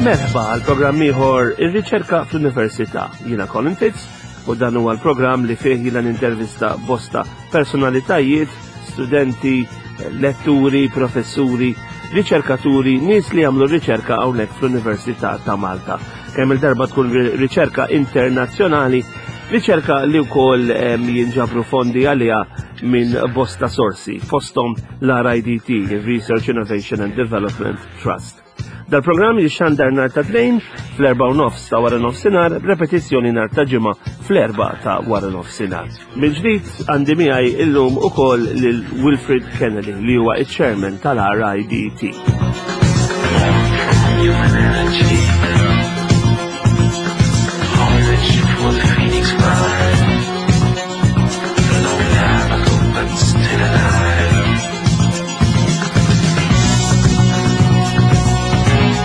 Merħba għal programm ieħor ir-riċerka fl-Università. Jiena Colin Fitz u dan huwa l-programm li fih jiena nintervista bosta personalitajiet, studenti, letturi, professuri, riċerkaturi, nies li jagħmlu riċerka hawnhekk fl-Università ta' Malta. Kemm il-darba tkun riċerka internazzjonali, riċerka li wkoll jinġabru fondi għaliha minn bosta sorsi, fosthom l-RIDT, Research Innovation and Development Trust. Dal-programm jixxandar nhar ta' Tnejn fl-erba' u nofs ta' wara nofsinhar, repetizzjoni nhar ta' Ġimgħa fl-erba' ta' wara nofsinhar. Mill-ġdid għandi miegħi illum ukoll lil Wilfred Kennedy li huwa iċ-chairman tal-RIDT.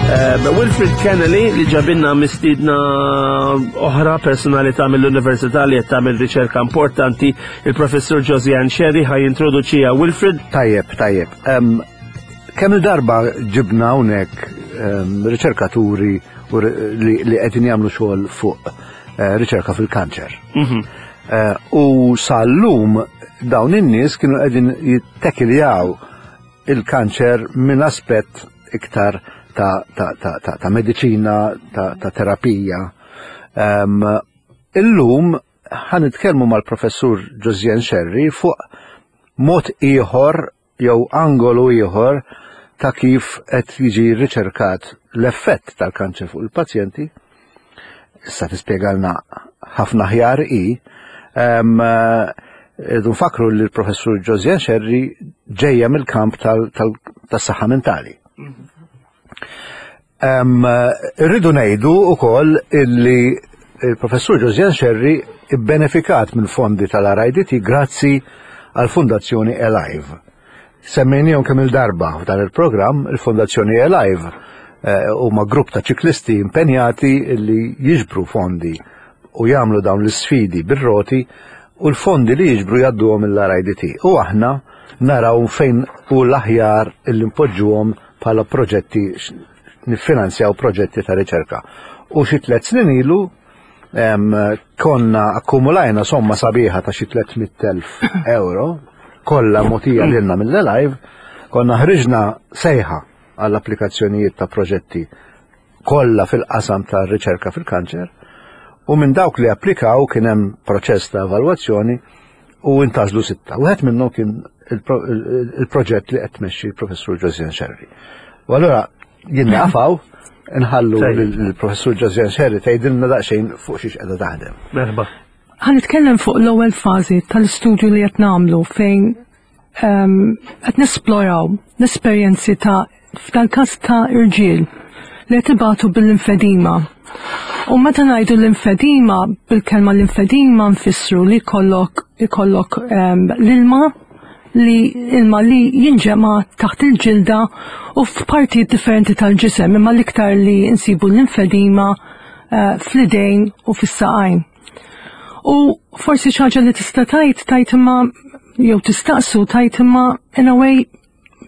Eh, Wilfred Kennedy li ġabinna mistidna oħra personalità mill-Università li qed tagħmel riċerka importanti, il-Professur Josiane Sherry ħaj introduċija Wilfred. Tajjeb, tajjeb. Kemm il-darba ġibna hawnhekk riċerkaturi li qegħdin jagħmlu xogħol fuq eh, riċerka fil-kanċer. Mhm. Eh, u sal-lum dawn in-nies kienu qegħdin jittekiljaw il-kanċer minn aspett iktar ta', ta, ta, ta, ta mediċina, ta, ta terapija. Um, illum ħanitkellmu mal-professur Josien Sherry fuq mod ieħor jew angolu ieħor ta' kif qed jiġi riċerkat l-effett tal-kanċer fuq il-pazjenti. Issa tispjegalna ħafna aħjar hi. Irridu nfakru li l-professur Josiane Scerri ġejja mill-kamp tas-saħħa mentali. Irridu ngħidu wkoll illi il-professur Josiane Scerri bbenefikat mill-fondi tal-RIDT grazzi għall-Fondazzjoni Alive. Semmejnihom kemm il-darba f'dan il-programm, il-Fondazzjoni Alive eh, huma grupp ta' ċiklisti impenjati li jiġbru fondi u jagħmlu dawn l-isfidi bir-roti u l-fondi li jiġbru jgħadduhom mill-RIDT. U aħna naraw fejn hu l-aħjar illi npoġġuhom bħala proġetti niffinanzjaw proġetti ta' riċerka. U xi tliet snin ilu konna akkumulajna somma sabiħa ta' xi 300,000 euro kollha mogħtija lilna mill-Alive, konna ħriġna sejħa għall-applikazzjonijiet ta' proġetti kollha fil-qasam ta' riċerka fil-kanċer u minn dawk li applikaw kien hemm proċess ta' evalwazzjoni u intażlu sitta. Wieħed minnhom kien il-proġett li qed tmexxi l-professur Josiane Scerri. U allura jien nafaw nħallu l-professur Josiane Scerri tgħidilna daqsxejn fuq xiex qiegħda taħdem. Merħba. Ħa nitkellem fuq l-ewwel fażi tal-istudju li qed nagħmlu fejn ehm, qed nesploraw l-esperjenzi ta' f'dal-każ ta' irġiel li qed ibatu bil-limfedima. U meta ngħidu l-limfedima, bil-kelma limfedima nfissru li jkollok ikollok ehm, l-ilma li ilma li jinġema taħt il-ġilda u f'partijiet differenti tal-ġisem, imma l-iktar li nsibu l-limfedima eh, fl-idejn u fis-saqajn. U forsi xi ħaġa li tista' tajt tajt imma jew tistaqsu tajt imma in a way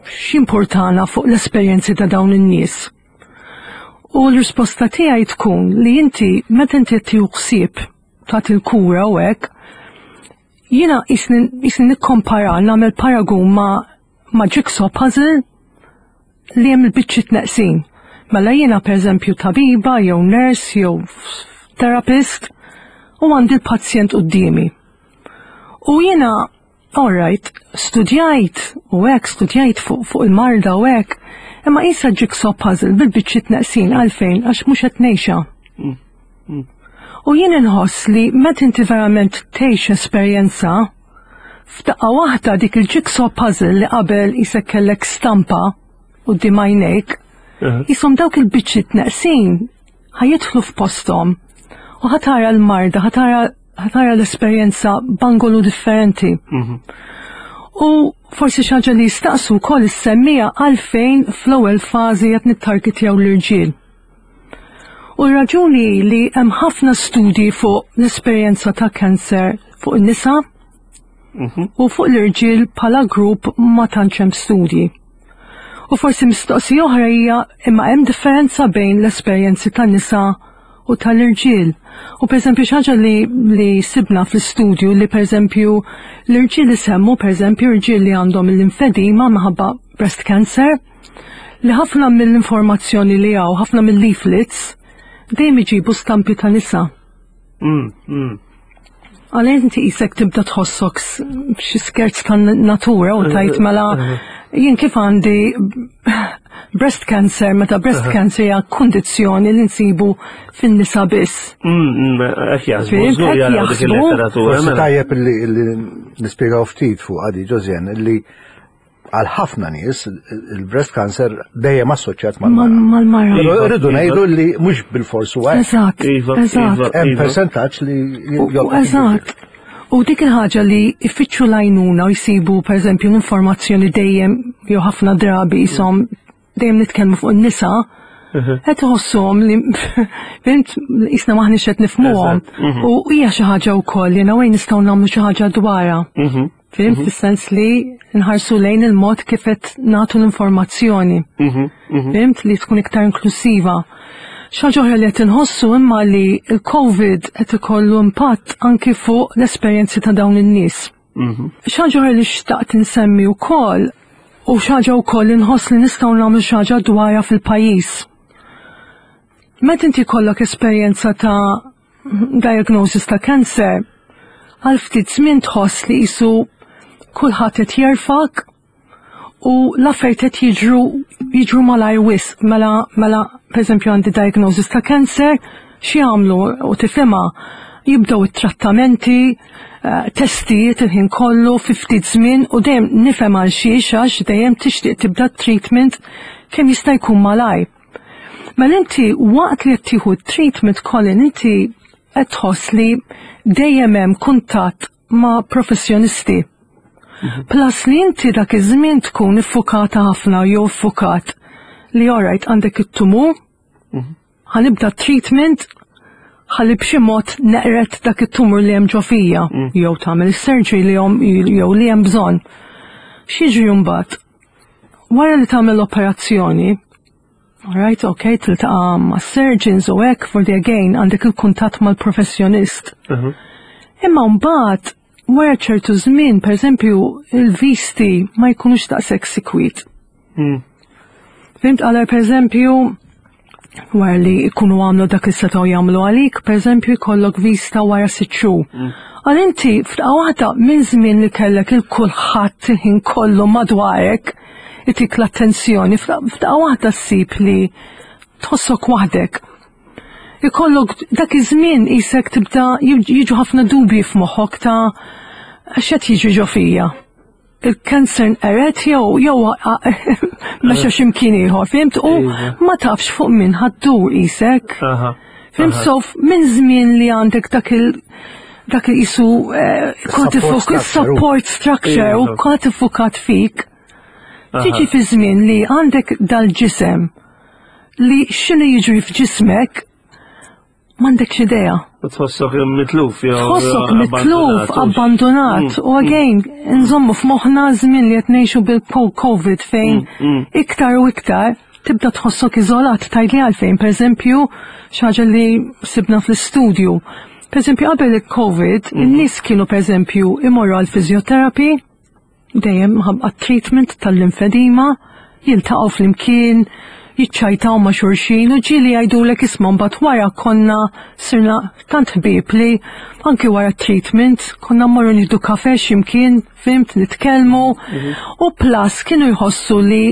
x'importana fuq l-esperjenzi ta' dawn in-nies. U l-risposta tiegħi tkun li inti meta inti qed tieħu ħsieb tagħti l-kura u hekk, jiena jisni nikkompara nagħmel paragun ma' ma' jigsaw puzzle li hemm il-biċċiet neqsin. Mela jiena pereżempju tabiba jew nurse jew therapist u għandi l-pazjent quddiemi. U jiena All right, studjajt u hekk, studjajt fuq fu il-marda u hekk, imma qisha jigsaw puzzle bil-biċċiet neqsin għalfejn għax mhux qed ngħixha. Mm, mm. U jien inħoss li meta inti verament tgħix esperjenza, f'daqqa waħda dik il-jigsaw puzzle li qabel isek kellek stampa quddiem għajnejk, jisom dawk il-biċċiet neqsin ħajidħlu f'posthom u ħatara l-marda, ħatara ħatara l-esperjenza b'angolu differenti. Mhm. U forsi xi ħaġa li jistaqsu wkoll is-semmija għalfejn fl-ewwel fażi qed nittargetjaw l-irġiel. U r-raġuni li hemm ħafna studji fuq l-esperjenza ta' kanser fuq in-nisa mhm. u fuq l-irġiel bħala grupp ma tantx hemm studji. U forsi mistoqsija oħra hija imma hemm differenza bejn l-esperjenzi tan-nisa u tal-irġiel. U pereżempju xi ħaġa li, li sibna fl-istudju li pereżempju l-irġiel isemmu pereżempju irġiel li għandhom il-linfedima minħabba breast cancer, li ħafna mill-informazzjoni li hawn, ħafna mill-leaflets, dejjem iġibu stampi ta' nisa. Għalhekk inti qisek tibda tħossok xi skerz ta' natura u tajt mela jien kif għandi breast cancer, meta breast cancer hija kundizzjoni li nsibu fin-nisa biss. Hekk jaħsbu, żgur jaraw dik il-letteratura. Forsi mela. tajjeb li nispjegaw ftit fuq għadi Ġożjen li għal ħafna nies il-breast cancer dejjem assoċjat mal-mara. Mal-mara. Però rridu ngħidu li mhux bil-fors huwa hekk. Eżatt. Iva, eżatt. iva, Hemm iva. persentaġġ li U- Eżatt. U dik il-ħaġa li jfittxu l-għajnuna u jsibu pereżempju l-informazzjoni dejjem jew ħafna drabi jisom dejjem nitkellmu fuq in-nisa, qed iħossuhom li fhimt qisna maħniex qed nifhmuhom. U hija xi ħaġa wkoll jiena wejn nistgħu nagħmlu xi ħaġa dwarha. Fhimt fis-sens li nħarsu lejn il-mod kif qed nagħtu l-informazzjoni. Fhimt li tkun iktar inklusiva. Xi ħaġa oħra li qed inħossu imma li l-COVID qed ikollu impatt anki fuq l-esperjenzi ta' dawn in-nies. Xi ħaġa oħra li xtaqt insemmi wkoll u xi ħaġa wkoll li nħoss li nistgħu nagħmlu xi ħaġa dwarha fil-pajjiż. Meta inti jkollok esperjenza ta' diagnosis ta' cancer, għal ftit żmien tħoss li qisu kulħadd qed jerfak u l-affarijiet qed jiġru jiġru malajr wisq. Mela, mela pereżempju għandi diagnosis ta' cancer, xi jagħmlu u tifhimha jibdew it-trattamenti, eh, testijiet il-ħin kollu fi ftit żmien u dejjem nifhem għal xiex għax dejjem tixtieq tibda treatment kemm jista' jkun malajr. Mela inti waqt li qed tieħu treatment Colin inti qed tħoss li dejjem hemm kuntatt ma' professjonisti. Plus li inti dak iż-żmien tkun iffukata ħafna jew iffukat li alright għandek it-tumur, ħa nibda treatment ħalli b'xi mod neqret dak it-tumur li hemm ġo fija jew tagħmel is-surgery li hemm jew li hemm bżonn. X'jiġri mbagħad? Wara li tagħmel operazzjoni, alright, okay, tiltaqa' ma' surgeons u hekk for the again għandek il-kuntatt mal-professjonist. Imma mbagħad wara ċertu żmien, pereżempju, il-visti ma jkunux daqshekk sikwit. Fhimt għala pereżempju, wara li jkunu għamlu dak li setgħu jagħmlu għalik, pereżempju jkollok vista wara sitt xhur. Għal inti f'daqqa waħda minn żmien li kellek il-kulħadd il-ħin kollu madwarek itik l-attenzjoni, f'daqqa waħda ssib li tħossok waħdek. Ikollok dak iż-żmien qisek tibda jiġu ħafna dubji f'moħħok ta' x'qed jiġri ġo fija. Il-cancer nqeret jew jew mexa x'imkien ieħor, fhimt? U Iva. ma tafx fuq min ħaddur qisek. Fhimt? So minn żmien li għandek dak il dak il qisu eh, Support structure. support structure u Iva. kont iffukat fik. Tiġi fi żmien li għandek dal-ġisem li x'inhu jiġri f'ġismek m'għandekx idea. U tħossok mitluf jew Tħossok mitluf, abbandonat. abbandonat. U again, nżommu f'moħħna żmien li qed ngħixu bil-COVID fejn iktar u iktar tibda tħossok iżolat tgħidli għalfejn. Pereżempju, xi ħaġa li sibna fl-istudju. Pereżempju, qabel il-COVID, in-nies kienu pereżempju imorru għal physiotherapy, dejjem ħabqa treatment tal-linfedima, jiltaqgħu flimkien, jiċċajtaw ma' xulxin u ġieli jgħidulek isma' mbagħad wara konna sirna tant ħbieb li anki wara treatment konna mmorru nieħdu kafe x'imkien, fhimt, nitkellmu u plus kienu jħossu li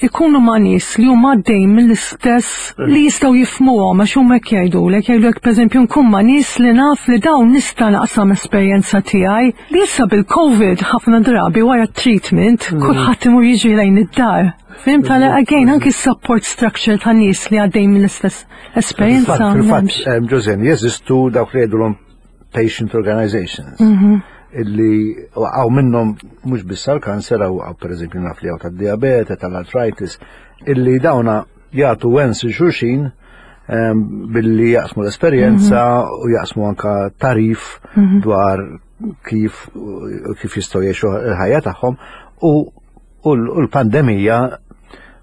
ikunu ma' nies li huma għaddejjin mill-istess li jistgħu jifhmuhom għax huma hekk jgħidulek, jgħidulek pereżempju nkun ma' nies li naf li dawn nista' naqsam esperjenza tiegħi li issa bil-COVID ħafna drabi wara treatment kulħadd imur jiġri lejn id-dar. Fhimt għala again anki support structure ta' nies li għaddejjin mill-istess esperjenza. Fil-fatt, m'hemmx. Josene, jeżistu dawk li jgħidulhom patient organizations. Illi għaw minnhom mhux biss għall-kanser, għaw pereżempju naf li għaw tad-diabete, tal-arthritis, illi dawna jagħtu wens xulxin billi jaqsmu l-esperjenza u jaqsmu anka tarif dwar kif kif jistgħu jgħixu l-ħajja tagħhom u l-pandemija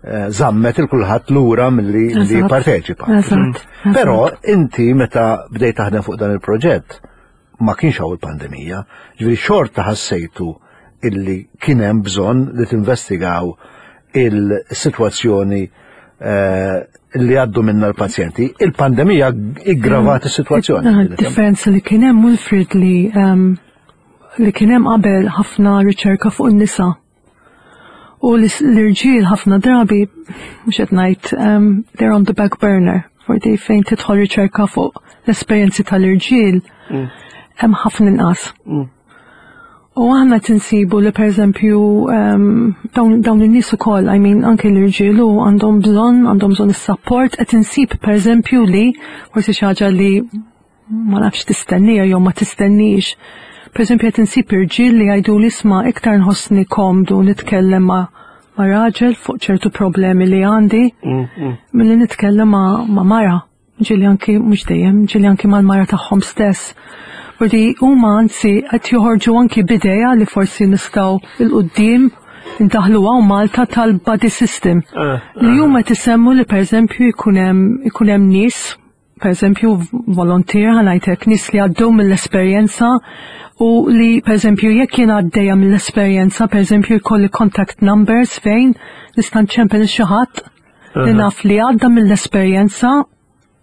eh, żammet il kulħadd lura milli li jipparteċipa. Però inti meta bdejt taħdem fuq dan il-proġett ma kienx hawn il-pandemija, ġifieri xorta ħassejtu illi kien hemm bżonn li tinvestigaw il-sitwazzjoni eh, li għaddu minna l-pazjenti. Il-pandemija iggravat mm. is-sitwazzjoni. Eh, differenza li kien hemm Wilfred li ehm, li kien hemm qabel ħafna riċerka fuq in-nisa. U l-irġiel ħafna drabi, mhux qed ngħid, um, they're on the back burner. Forti fejn tidħol riċerka fuq l-esperjenzi tal-irġiel, mm. hemm ħafna inqas. Mm. U aħna tinsibu li pereżempju um, dawn, dawn in-nies ukoll, I mean anke l-irġiel u għandhom bżonn, għandhom bżonn is-support, qed insib pereżempju li forsi xi ħaġa li ma nafx tistennija jew ma tistennix. Per eżempju qed insib irġiel li jgħidu li isma' iktar nħossni komdu nitkellem ma' ma' raġel fuq ċertu problemi li għandi mm, mm. milli nitkellem ma' ma' mara. Ġieli anki mhux dejjem, ġieli anki mal-mara tagħhom stess. Fordi huma anzi qed joħorġu anki b'idea li forsi nistgħu 'l quddiem indaħlu hawn Malta tal-buddy system. Eh, li eh. huma tisemmu li pereżempju jkun hemm ikun hemm nies per eżempju, volontier ħanajtek nies li għaddew mill-esperjenza u li per eżempju jekk jien għaddejja mill-esperjenza, per eżempju jkolli contact numbers fejn nista' nċempel xi ħadd li naf li għadda mill-esperjenza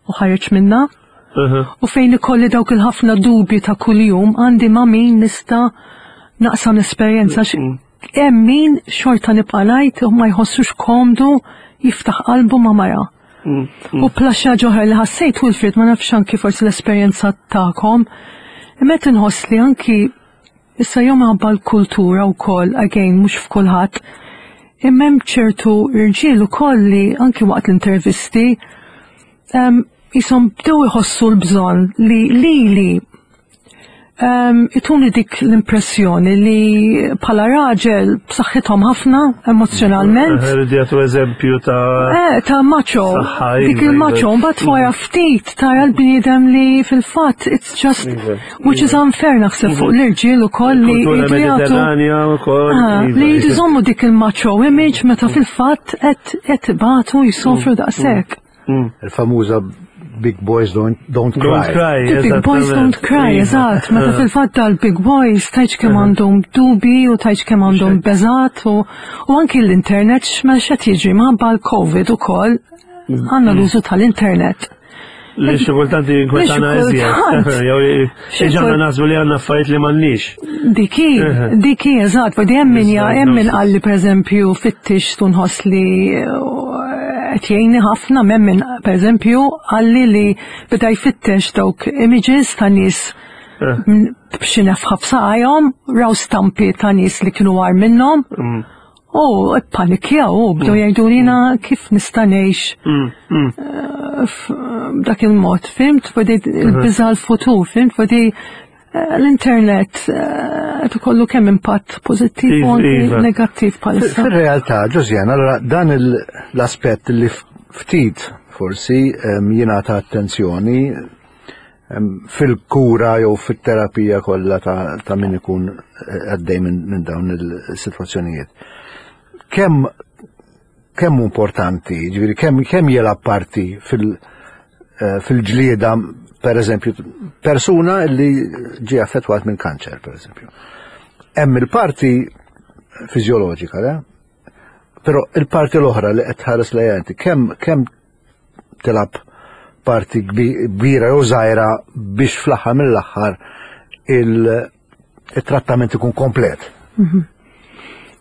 u ħareġ minna. U fejn ikolli dawk il-ħafna dubji ta' kuljum għandi ma' min nista' naqsam l-esperjenza. Mm. Hemm min xorta nibqa' ngħid u ma jħossux komdu jiftaħ qalbu ma' mara. Mm, mm. U plaxa ġoħra li ħassejt Wilfred ma nafx anki forsi l-esperjenza tagħkom. Imma qed inħoss li anki issa jew minħabba l-kultura wkoll again mhux f'kulħadd. Imma hemm ċertu irġiel ukoll li anki waqt l-intervisti jisom bdew iħossu l-bżonn li lili um, ituni dik l-impressjoni li bħala raġel b'saħħithom ħafna emozjonalment. Eh, rridu jagħtu eżempju ta' Eh, ta' macho. Dik iva, il-macho, iva. mbagħad wara ftit tara l-bniedem li fil-fatt it's just iva, which is unfair naħseb fuq l-irġiel ukoll li jridu jagħtu ah, li jridu jżommu dik il-macho image meta fil-fatt qed ibatu jsofru mm, daqshekk. Mm. Il-famuża Big Boys Don't, don't Cry. Don't cry. The Big Boys Don't Cry, eżatt. Meta eh. fil-fatt dal-Big Boys tajċ kemm eh. għandhom dubi u tajċ kemm għandhom beżat u anki l-internet x'ma xed jiġri minħabba l-Covid ukoll mm. għandna l-użu tal-internet. Li xi kultant jinkwetana iżjed. Jew iġanna naħsbu li għandna affarijiet li m'għandniex. Diki, diki, eżatt, vodi hemm min hemm min qalli pereżempju fittix tunħoss li eh, qed jgħinni ħafna m'hemm min pereżempju qalli li beda jfittex dawk images ta' nies eh. b'xi nefħa f'saqajhom, raw stampi ta' nies li kienu għar minnhom. Mm. U ppanikjaw u bdew mm. jgħidu lina mm. kif nista' ngħix mm, eh, b'dak il-mod, fimt? Fodi il-biża' l-futur, fimt? Fodi eh, l-internet eh, qed ikollu kemm impatt pożittiv u anki iva. negattiv bħalissa. Fir-realtà, Ġożjan, allora dan l-aspett li ftit forsi jingħata attenzjoni fil-kura jew fit-terapija kollha ta', ta min ikun eh, għaddej minn min dawn il-sitwazzjonijiet. Kemm kemm importanti, ġifieri kemm kemm jilgħab parti fil- eh, fil-ġlieda per eżempju persuna li ġie affettwat minn kanċer per eżempju. Hemm il-parti fiżjoloġika, le? Però il-parti l-oħra li qed tħares lejha inti kemm kemm tilgħab parti kbira jew żgħira biex fl-aħħar mill-aħħar il-trattament ikun komplet. Mhm.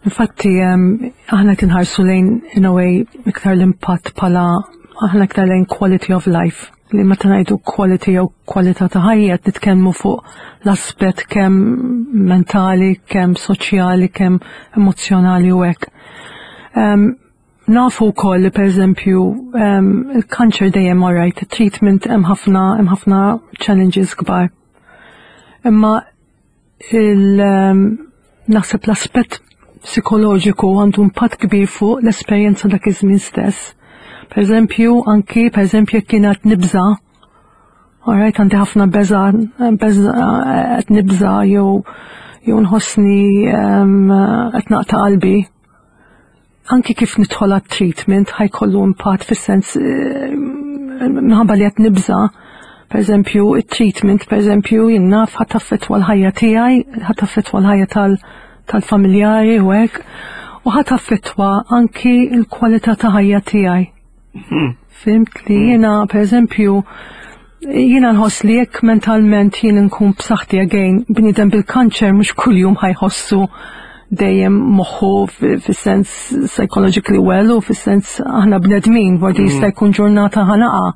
Infatti, aħna tinħarsu lejn in a way iktar l-impatt bħala aħna iktar lejn quality of life. Li meta ngħidu quality jew kwalità ta' ħajja qed nitkellmu fuq l-aspett kemm mentali, kemm soċjali, kemm emozjonali u hekk. Nafu wkoll li pereżempju il-kanċer dejjem alright, treatment hemm ħafna hemm ħafna challenges kbar. Imma il naħseb l-aspett psikoloġiku għandu impatt kbir fuq l-esperjenza dak iż-żmien stess. Per eżempju, anki per eżempju jekk kien qed nibża' Alright, għandi ħafna beża, beża qed nibża jew jew nħossni qed naqta' qalbi. anki kif nidħol għat-treatment ħa jkollu impatt fis-sens minħabba li qed nibża'. Per eżempju, it-treatment, per eżempju, jien naf ħa taffettwa l-ħajja tiegħi, ħa taffettwa l-ħajja tal-familjari u hekk, u ħa taffettwa anki l-kwalità ta' ħajja tiegħi. Fhimt li jiena, per eżempju, jiena nħoss li jekk mentalment jien nkun b'saħħti again, bniedem bil-kanċer mhux kuljum ħa jħossu dejjem moħħu fis-sens psychologically well u fis-sens aħna bnedmin, vordi jista' jkun ġurnata ħa naqa'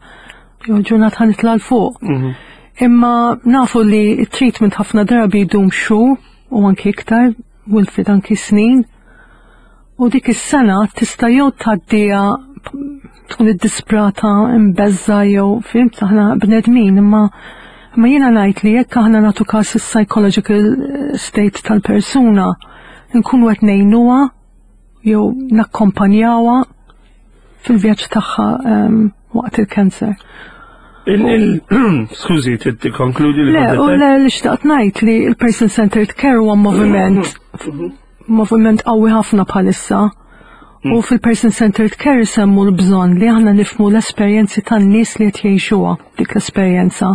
jew ġurnata ħa nitla' 'l fuq. Imma nafu li t-treatment ħafna drabi jdum xhur u anki iktar, Wilfred anki snin. U dik is-sena tista' jew tgħaddiha tkun iddisprata, imbeżża jew fhimt aħna bnedmin, imma imma jiena ngħid li jekk aħna nagħtu każ is-psychological state tal-persuna, nkunu qed ngħinuha jew nakkompanjawha fil-vjaġġ tagħha waqt il-kanser. Skużi, tikkonkludi li Le, u le li xtaqt ngħid li l-person-centered care huwa moviment moviment qawwi ħafna bħalissa. U fil-person-centered care isemmu l-bżonn li aħna nifhmu l-esperjenzi tan-nies li qed jgħixuha dik l-esperjenza.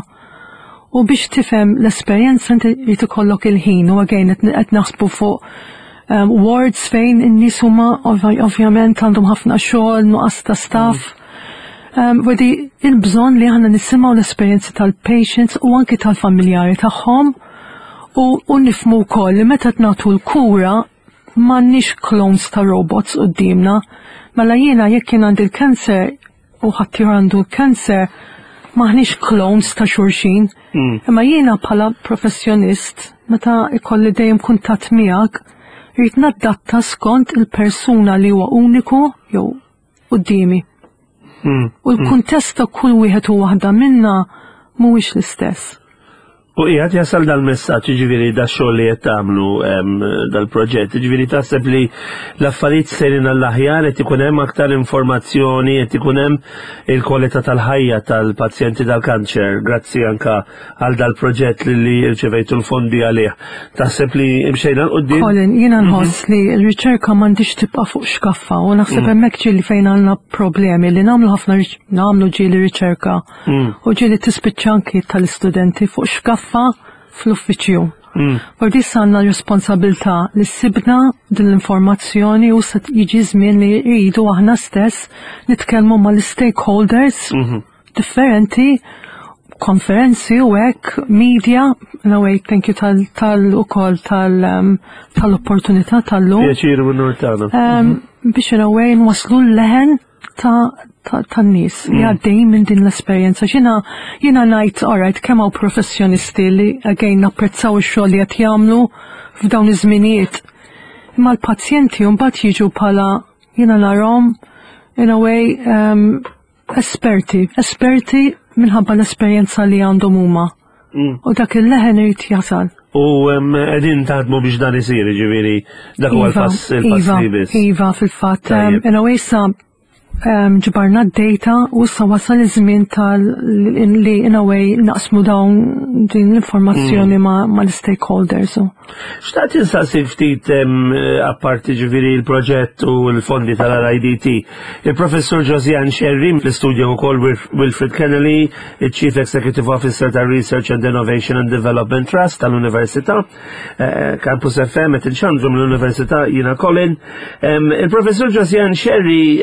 U biex tifhem l-esperjenza inti jrid ikollok il-ħin u again qed naħsbu fuq wards fejn in-nies huma ovvjament għandhom ħafna xogħol, nuqqas ta' staff. Wedi il-bżonn li aħna nisimgħu l-esperjenzi tal-patients u anki tal-familjari tagħhom u nifhmu wkoll li meta nagħtu l-kura m'għandniex clones ta' robots quddiemna. Mela jiena jekk jien għandi l-cancer u ħaddieħor għandu l-cancer, m'aħniex clones ta' xulxin. Imma jiena bħala professjonist, meta ikolli dejjem kuntatt miegħek, rrid nadatta skont il-persuna li huwa uniku jew quddiemi. U l-kuntest ta' kull wieħed u waħda minna mhuwiex l-istess. U qiegħed jasal dal-messaġġ, jiġifieri dax-xogħol li qed tagħmlu dal-proġett, jiġifieri taħseb li l-affarijiet sejrin għall-aħjar, qed ikun hemm aktar informazzjoni, qed ikun hemm il-kwalità tal-ħajja tal-pazjenti tal-kanċer, grazzi anka għal dal-proġett li rċevejtu l-fondi għalih. Taħseb li imxejna 'l quddiem? Colin, jiena nħoss li l-riċerka m'għandix tibqa' fuq xkaffa u naħseb hemmhekk ġieli fejn għandna problemi li nagħmlu ħafna nagħmlu ġieli riċerka u ġieli tispiċċa anki tal-istudenti fuq xkaffa fl-uffiċċju. Forsi issa għandna responsabilità li sibna din l-informazzjoni u se jiġi żmien li jridu aħna stess nitkellmu mal-stakeholders differenti, konferenzi u hekk, media, in a way, thank you tal ukoll tal-opportunità tal-lum. Pjaċir u unur tagħna. Biex in a way nwaslu l-leħen tan-nies li għaddejjin minn din l-esperjenza. Jiena jiena ngħid, alright, kemm hawn professjonisti li again napprezzaw ix-xogħol li qed jagħmlu f'dawn iż-żminijiet. Imma l-pazjenti mbagħad jiġu bħala jiena narahom in a way esperti, esperti minħabba l-esperjenza li għandhom huma. U dak il-leħen irid jasal. U qegħdin taħdmu biex dan isir, ġifieri dak huwa l-pass il-pass Iva, li biss. Iva, fil-fatt, Tajjeb. in a way sa ġbarna d-data u issa wasal iż-żmien tal li in a way naqsmu dawn din l-informazzjoni mal-stakeholders. Xtaqt insaqsi ftit apparti ġifieri l-proġett u l-fondi tal-RIDT. Il-professur Josianne Scerri fl-istudju wkoll Wilfred Kennelly, il-Chief Executive Officer tal Research and Innovation and Development Trust tal-Università, Campus FM qed inxandru mill-Università jiena Colin. Il-professur Josianne Scerri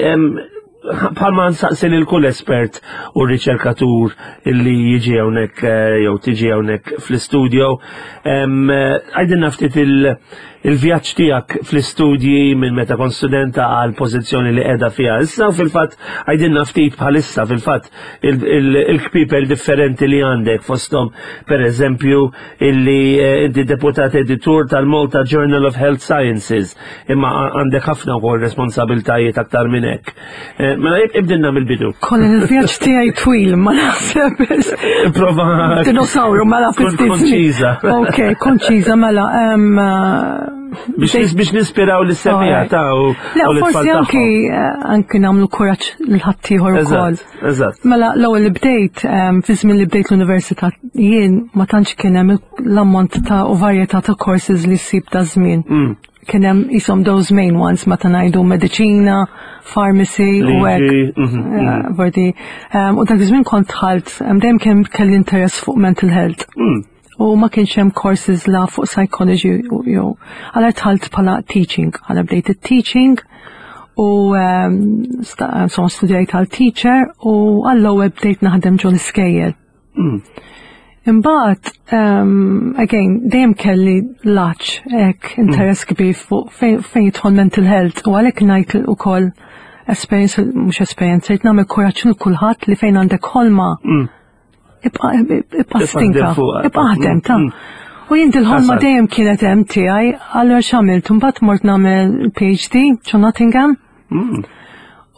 bħalma nsaqsi lil kull espert u riċerkatur illi jiġi hawnhekk jew tiġi hawnhekk fl-istudio, għidilna ftit il-vjaġġ tiegħek fl-istudji minn meta kont studenta għal pożizzjoni li qiegħda fiha issa u fil-fatt għidilna ftit bħalissa fil-fatt il-kpipel differenti li għandek fosthom per eżempju illi inti deputat editur tal-Malta Journal of Health Sciences imma għandek ħafna wkoll responsabiltajiet aktar minn hekk. Mela ibdilna mill-bidu. Colin, il-vjaġġ tiegħi twil, ma naħseb. Prova. Dinosawru, mela Kun ftit konċiża. Ok, konċiża, mela. Biex nispiraw l-semija ta' u Le, u l-tfal forsi tagħhom. anki nagħmlu kuraġġ lil ħaddieħor ukoll. Eżatt, eżatt. Mela, l-ewwel li bdejt, fi żmien li bdejt l-università, jien ma tantx kien hemm l-ammont ta' u varjetà ta' courses li ssib ta' żmien. kien hemm qishom those main ones meta ngħidu mediċina, pharmacy u hekk. Mhm. Vordi, u dak iż-żmien kont dħalt, dejjem kien kelli interess fuq mental health. U ma kienx hemm courses la fuq psychology u jew. Għala dħalt bħala teaching, għala bdejt it-teaching u insomma studjajt għal teacher u għall-ewwel bdejt naħdem ġol iskejjel. Imbagħad, um, again, dejjem kelli laċ hekk interess kbir fuq fejn jidħol mental health u għalhekk ngħid ukoll esperjenza mhux esperjenza, jrid nagħmel kuraġġ lil kulħadd li fejn għandek ħolma ibqa' ibqa' stinka, ibqa' aħdem ta' U jien dil-ħolma dejjem kienet hemm tiegħi, allura x'għamilt? Imbagħad mort nagħmel PhD ġo Nottingham.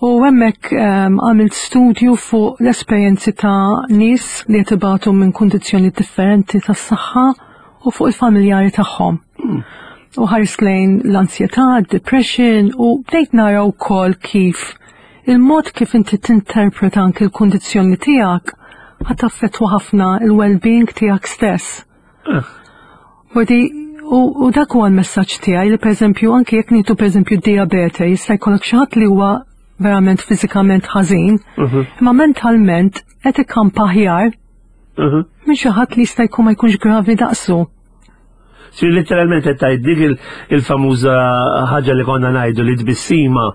U hemmhekk għamilt studju fuq l-esperjenzi ta' nies li qed ibatu minn kundizzjoni differenti tas-saħħa u fuq il-familjari tagħhom. U ħarist lejn l-ansjetà, depression u bdejt nara wkoll kif il-mod kif inti tinterpreta anki l-kundizzjoni tiegħek ħa taffettwa ħafna il-well-being tiegħek stess. Vodi, u dak huwa l-messaġġ tiegħi li pereżempju anki jekk nieħdu pereżempju d-diabete jista' jkollok xi ħadd li huwa verament fiżikament ħażin, imma mentalment qed ikampa aħjar minn xi ħadd li jista' jkun ma jkunx gravi daqsu. Si literalment qed tgħid dik il-famuża ħaġa li konna ngħidu li tbissima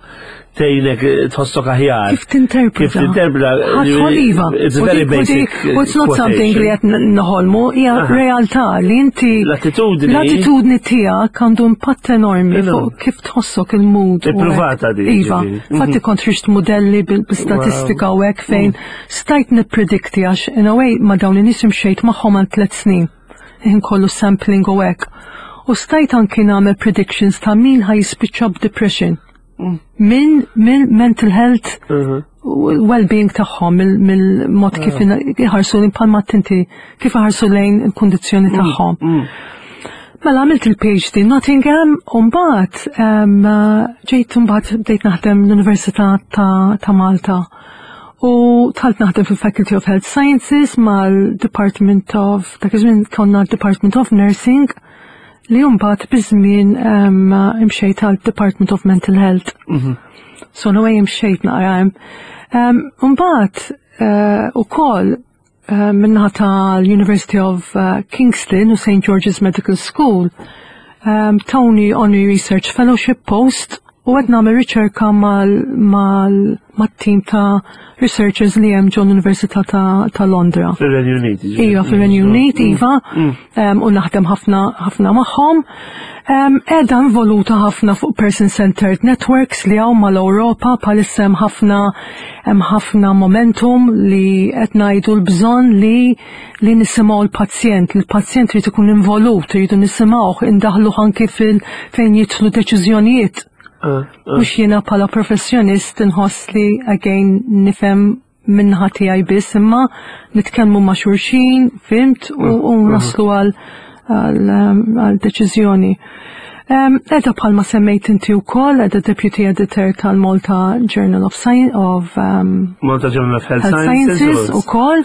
tgħinek tħossok aħjar. Kif tinterpreta? Kif tinterpreta? Ħadħol iva. It's very basic. U it's not something li qed noħolmu, hija realtà li inti L-attitudni. L-attitudni tiegħek għandu impatt enormi fuq kif tħossok il-mood. Ippruvata di. Iva. Fatti kont rixt modelli bil-statistika u hekk fejn stajt nippredikti għax in a way ma dawn in-nies imxejt magħhom għal tliet snin. Ħin kollu sampling u hekk. U stajt anki nagħmel predictions ta' min ħa jispiċċa b'depression. Min min mental health well-being tagħhom mill-mod kif iħarsu lejn bħalma tinti kif iħarsu lejn il-kundizzjoni tagħhom. Mela għamilt il-PhD Nottingham u mbagħad ġejt mbagħad bdejt naħdem l-Università ta' Malta. U dħalt naħdem fil-Faculty of Health Sciences mal-Department of, dak iż-żmien konna Department of Nursing, li mbagħad biż-żmien imxejt għal Department of Mental Health. So no way imxejt naqra hemm. Mbagħad ukoll min-naħa tal-University of Kingston u St. George's Medical School tawni Honorary Research Fellowship post u qed nagħmel riċerka mal-team ta' researchers li hemm ġol Università ta' Londra. Fir-Renju Unit. Iva, fir-Renju Unit, iva, u naħdem ħafna ħafna magħhom. Qiegħda involuta ħafna fuq person-centered networks li hawn mal-Ewropa bħalissa hemm ħafna hemm ħafna momentum li qed ngħidu l-bżonn li li nisimgħu l-pazjent, li l-pazjent irid ikun involut, iridu nisimgħuh, indaħluh anki fil fejn jidħlu deċiżjonijiet. Mhux jiena bħala professjonist inħoss li again nifhem min-naħa tiegħi biss, imma nitkellmu ma' xulxin, fhimt, u naslu għal deċiżjoni. Qiegħda bħalma semmejt inti wkoll, qiegħda Deputy Editor tal-Malta Journal of Science of Malta Journal of Health Sciences Sciences ukoll.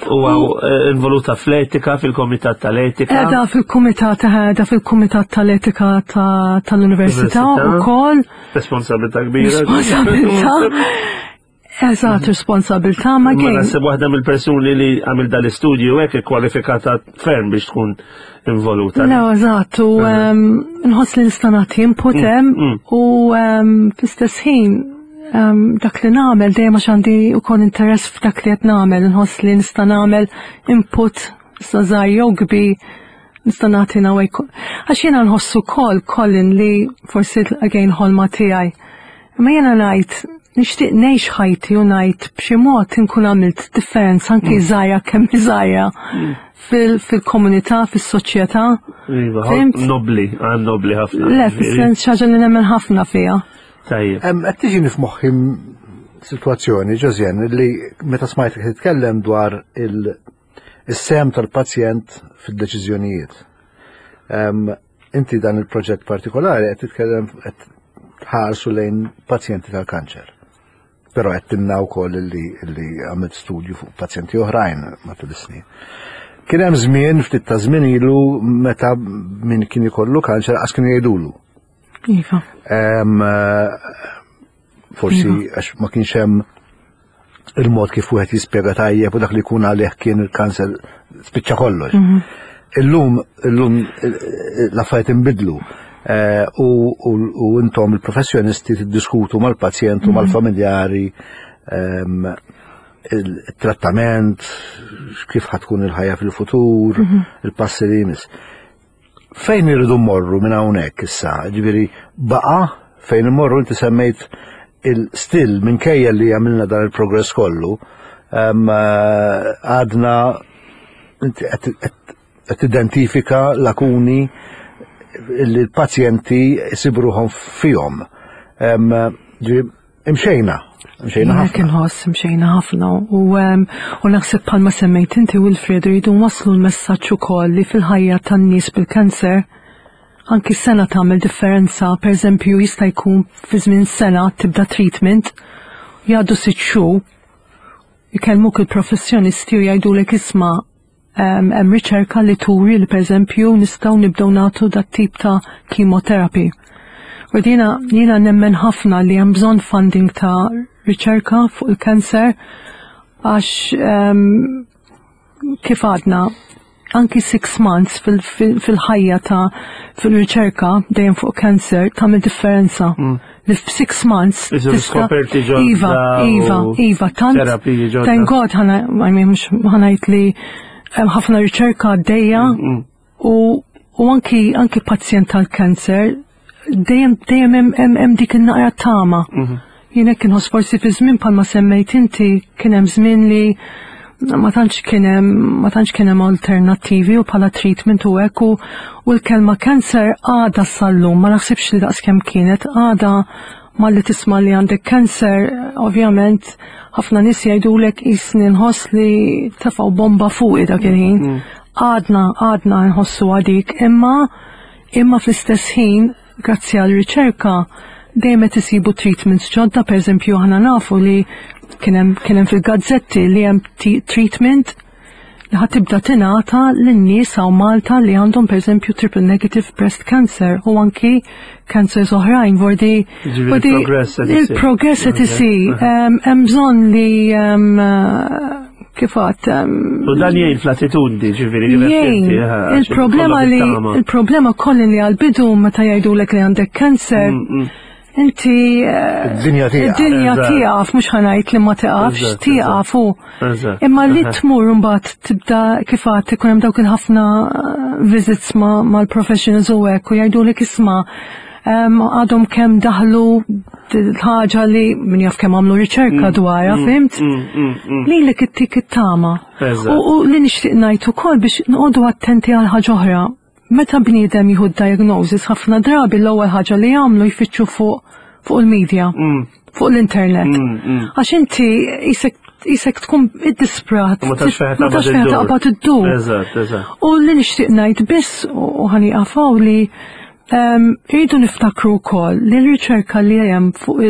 U involuta fl-etika, fil-Komitat tal-Etika. Qiegħda fil-Kumitat, qiegħda fil-Kumitat tal-Etika tal-Università ukoll. Responsabilità kbira. Responsabilità. Eżatt, responsabilità ma Ma kien. naħseb waħda mill-persuni li għamil dal-istudju hekk ikkwalifikata ferm biex tkun involuta. Le, eżatt, u nħoss li nista' nagħti input hemm u fl-istess ħin dak li nagħmel dejjem għax għandi wkoll interess f'dak li qed nagħmel, nħoss li nista' nagħmel input sa żgħir jew kbir nista' nagħti nawaj. Għax jiena nħoss ukoll Colin li forsi again ħolma tiegħi. Imma jiena ngħid nixtieq ngħix ħajti u ngħid b'xi mod inkun għamilt differenza anki żgħira kemm żgħira fil-komunità, fis-soċjetà. Iva, Fhimt? nobli, għan nobli ħafna. Le, fis-sens xi ħaġa li nemmen ħafna fiha. Tajjeb. Qed tiġini f'moħħi sitwazzjoni, Josianne, li meta smajtek titkellem dwar il-sem tal-pazjent fid-deċiżjonijiet. Inti dan il-proġett partikolari qed titkellem qed tħarsu lejn pazjenti tal-kanċer. Però qed timna wkoll li għamilt studju fuq pazjenti oħrajn matul is-snin. Kien hemm żmien ftit ta' żmien ilu meta min kien ikollu kanċer qas kienu jgħidulu. Iva. Forsi iva. għax ma kienx hemm il-mod kif wieħed jispjega tajjeb u dak li jkun għalih kien il-kanser spiċċa kollox. Mhm. Illum, illum l-affarijiet inbidlu eh, u intom il-professjonisti tiddiskutu mal-pazjent u mhm. mal-familjari ehm, il-trattament, kif ħatkun il-ħajja fil-futur, mhm. il-passi li jmiss. Fejn irridu mmorru minn hawnhekk issa? Ġifieri baqa' fejn immorru inti semmejt il-still minkejja li għamilna dan il-progress kollu, eh, għadna inti qed tidentifika lakuni li l-pazjenti jsibruhom fihom. Imxejna, imxejna ħafna. Kien ħoss imxejna ħafna u, u naħseb bħalma semmejt inti Wilfred rridu nwasslu l-messaġġ ukoll li fil-ħajja tan-nies bil-kanser anki sena tagħmel differenza, pereżempju jista' jkun fi żmien sena tibda treatment, jgħaddu sitt xhur, ikellmuk il-professjonisti u jgħidulek isma' Hemm riċerka li turi li pereżempju nistgħu nibdew nagħtu dat tip ta' chemotherapy. U jiena jiena nemmen ħafna li hemm bżonn funding ta' riċerka fuq il-kanser għax kif għadna anki six months fil-ħajja ta' fil-riċerka dejjem fuq cancer tagħmel differenza. Li f'six months. Skoperti ġodda. Iva, iva, iva, tant. Terapiji ġodda. Thank God ħana, I mean, mhux ħanajt li hemm ħafna riċerka għaddejja mm, mm. u u anki anki pazjent tal-kanser dejjem dejjem hemm dik in-naqra tama. Mhm. Jien hekk inħoss forsi fi żmien bħalma semmejt inti kien hemm żmien li ma tantx kien hemm ma tantx kien hemm alternattivi u bħala treatment u hekk u, u l-kelma cancer għadha sal-lum ma naħsibx li daqskemm kienet għadha malli tisma' li għandek cancer ovvjament ħafna nies jgħidulek qisni nħoss li tefgħu bomba fuqi dak il-ħin. Mm. Għadna għadna nħossu għadik imma imma fl-istess ħin Grazzi għal riċerka dejjem qed isibu treatments ġodda, pereżempju aħna nafu li kien hemm fil-gazzetti li hemm treatment li ħad tibda tingħata lin-nies hawn Malta li għandhom pereżempju triple negative breast cancer u anki cancers oħrajn vordi il-progress qed isir. Hemm bżonn li kif għat. U dan jgħin fl-attitudni, ġifieri. Jgħin. Il-problema li il-problema kolli li għal-bidu meta jgħidulek li għandek kanser, mm, mm. inti. Eh, id-dinja tiegħek. Id-dinja tiegħek mhux ħanajt li ma tiqafx, tiqaf u. Imma li tmur mbagħad tibda kif għad ikun hemm dawk il-ħafna eh, visits mal-professionals u hekk u jgħidulek isma' għadhom kemm daħlu ħaġa li min jaf kemm għamlu riċerka mm, dwarha, mm, fimt? Mm, li li kittik it-tama. U li nixtieq ngħid ukoll biex noqogħdu attenti għal ħaġa oħra. Meta bniedem jieħu diagnosis ħafna drabi l-ewwel ħaġa li jagħmlu jfittxu fuq fuq il-media, fuq l-internet. Għax inti jisek jisek tkun id-disprat. Ma tafx fejn taqbad iddur. U li nixtieq ngħid biss u ħani għafaw li Irridu niftakru wkoll li r-riċerka li hemm fuq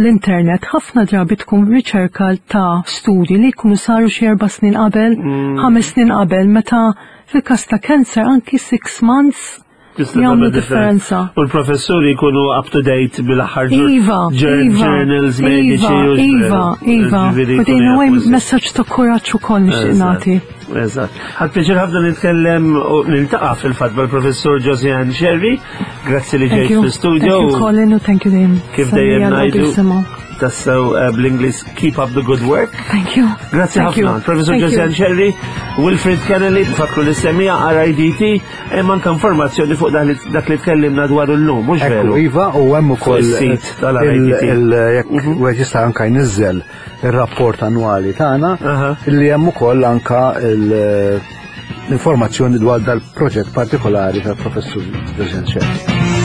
l-internet ħafna drabi tkun riċerka ta' studji li jkunu saru xi erba' snin qabel, mm. ħames snin qabel, meta fil-każ ta' cancer anki six months jagħmlu differenza. U l-professuri jkunu up to date bil-aħħar iva, iva, journals mediċi. Iva, iva, iva. U din huwa messaġġ ta' kuraġġ ukoll nixtieq nagħti. Eżatt. Ħadd pjaċir ħafna nitkellem u niltaqa' fil-fatt mal-professur Josiane Sherry. Grazzi li ġejt fl-studio. Thank you Colin u thank you dejjem. Kif dejjem ngħidu tassew eh, bl-Ingliż keep up the good work. Thank you. Grazzi ħafna. Professor Josiane Sherry, Wilfred Kennelly, fakru li semija RIDT, hemm anke informazzjoni fuq dak li tkellimna dwar illum, mhux veru. Iva, u hemm ukoll sit tal-RIDT. Jekk mhm. wieħed jista' anke jniżżel ir-rapport annwali tagħna li hemm ukoll anka l-informazzjoni dwar dal-proġett partikolari tal-professur Joseph Scerri.